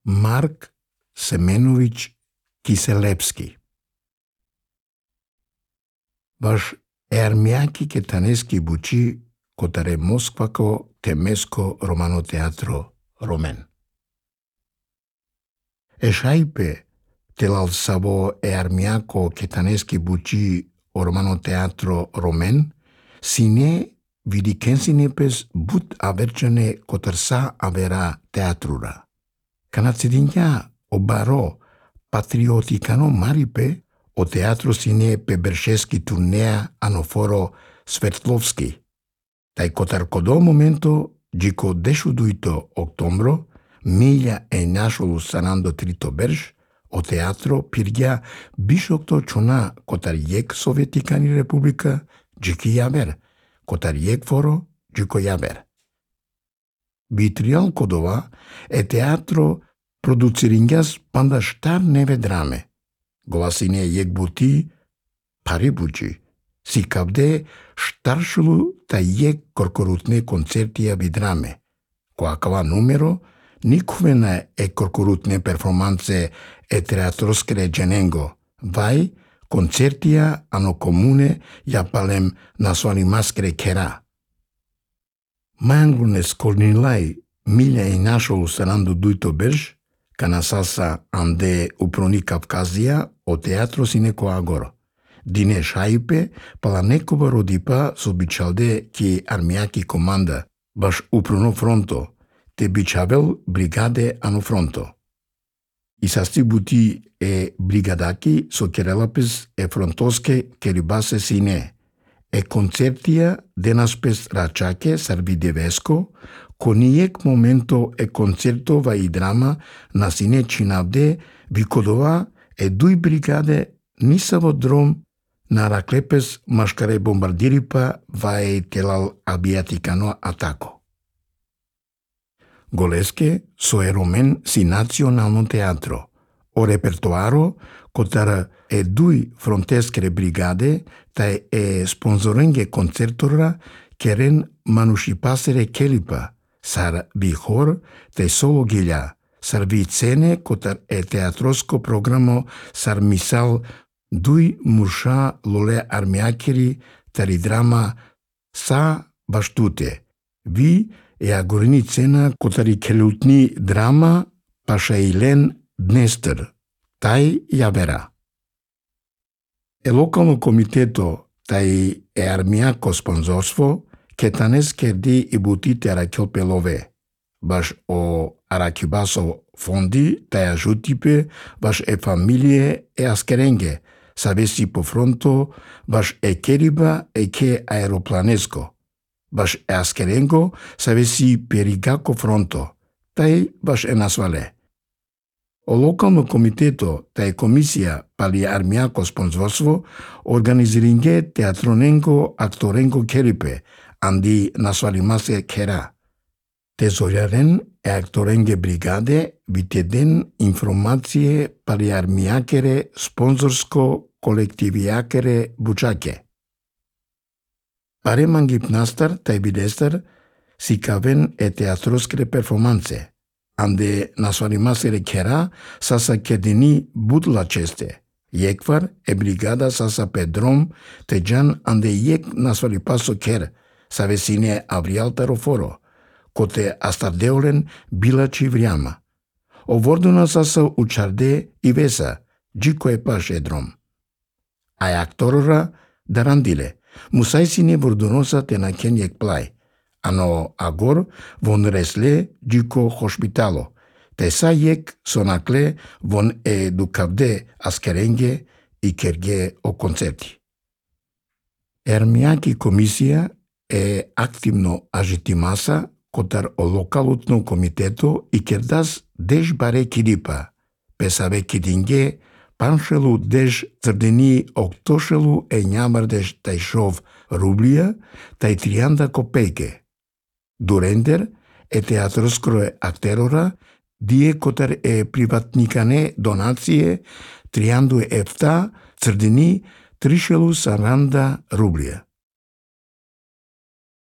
Марк Семенович Киселевски. Ваш ермјаки кетанески бучи котаре Москвако темеско романо театро Ромен. Ешајпе телал саво ермјако кетанески бучи романо театро Ромен, сине видикенсинепес бут аверчане котарса авера театрура. Канацидинја обаро патриотикано марипе о театро сине пебершески турнеа анофоро Светловски. Тај котар кодо моменто джико дешу дуито октомбро, милја е нашолу санандо трито берш, о театро пирѓа бишокто чуна котар јек Советикани република джики јавер, котар јек форо джико јавер. Битријал кодова е театро продуциринѓас панда штар неве драме. Гласине јек бути пари бучи. Си кавде штаршулу та јек коркорутне концертија би драме. Коакава нумеро, никувена е коркорутне перформанце е театроске реджененго. Вај концертија ано комуне ја палем на соани маскре кера. Мајанглуне скорнилај милја и нашолу сананду дуито берш, кана саса анде упрони Кавказија о театро синеко агоро. Дине шајпе пала некоба родипа со бичалде ки армијаки команда, баш упроно фронто, те бичавел бригаде ано фронто. И састи бути е бригадаки со керелапес е фронтоске керибасе сине. Е концертија денаспес рачаке сарвидевеско, конијек моменто е концертова и драма на сине чинавде викодова е дуј бригаде нисаво дром на раклепес машкаре бомбардирипа вај телал абијатикано атако. Голеске со е Ромен си национално театро. О репертуаро котар е дуј фронтескре бригаде, тај е спонзоренге концертора керен манушипасере келипа, сар бихор тај соло гилја, сар ви цене котар е театроско програмо сар мисал дуј муша лоле армијакери тари драма са баштуте. Ви е агорени цена котари келутни драма пашаилен Днестър. Тај јавера. Е локално комитето тај е армијако спонзорство кетанес керди и бутите ракелпелове. Баш о аракибасо фонди тај ажутипе баш е фамилие е аскеренге, савеси по фронто баш е кериба е ке аеропланеско. Баш е аскеренго савеси перигако фронто. Тај баш е насвале. О локално комитето, тај комисија пали армијако спонзорство, организиринге театроненго акторенго керипе, анди насвалимасе кера. Тезорјарен е акторенге бригаде, витеден информације пали армијакере спонзорско колективијакере бучаке. Пареман гипнастар, тај бидестар, си кавен е театроскре перформанце. Анде насвалимасере кера саса кедени будла честе. Јеквар е бригада саса педром теджан анде јек насвалипасо кер, савесине авриалтарофоро, коте астардеолен билачи врјама. Овордона саса учарде и веса, джико е паше дром. А акторора дарандиле, мусајсине вордоноса те на кен јек плај, ано агор вон ресле джико хошпитало, те са јек сонакле вон е дукавде аскеренге и керге о концерти. Ермјаки комисија е активно ажитимаса котар о локалутно комитето и кердас деш баре кидипа, песаве кидинге паншелу деш црдени октошелу е њамардеш тај шов рублија, тај 30 копејке. Дурендер е театрскро актерора, дие котар е приватникане донације 30 ефта црдени 3 саранда рублија.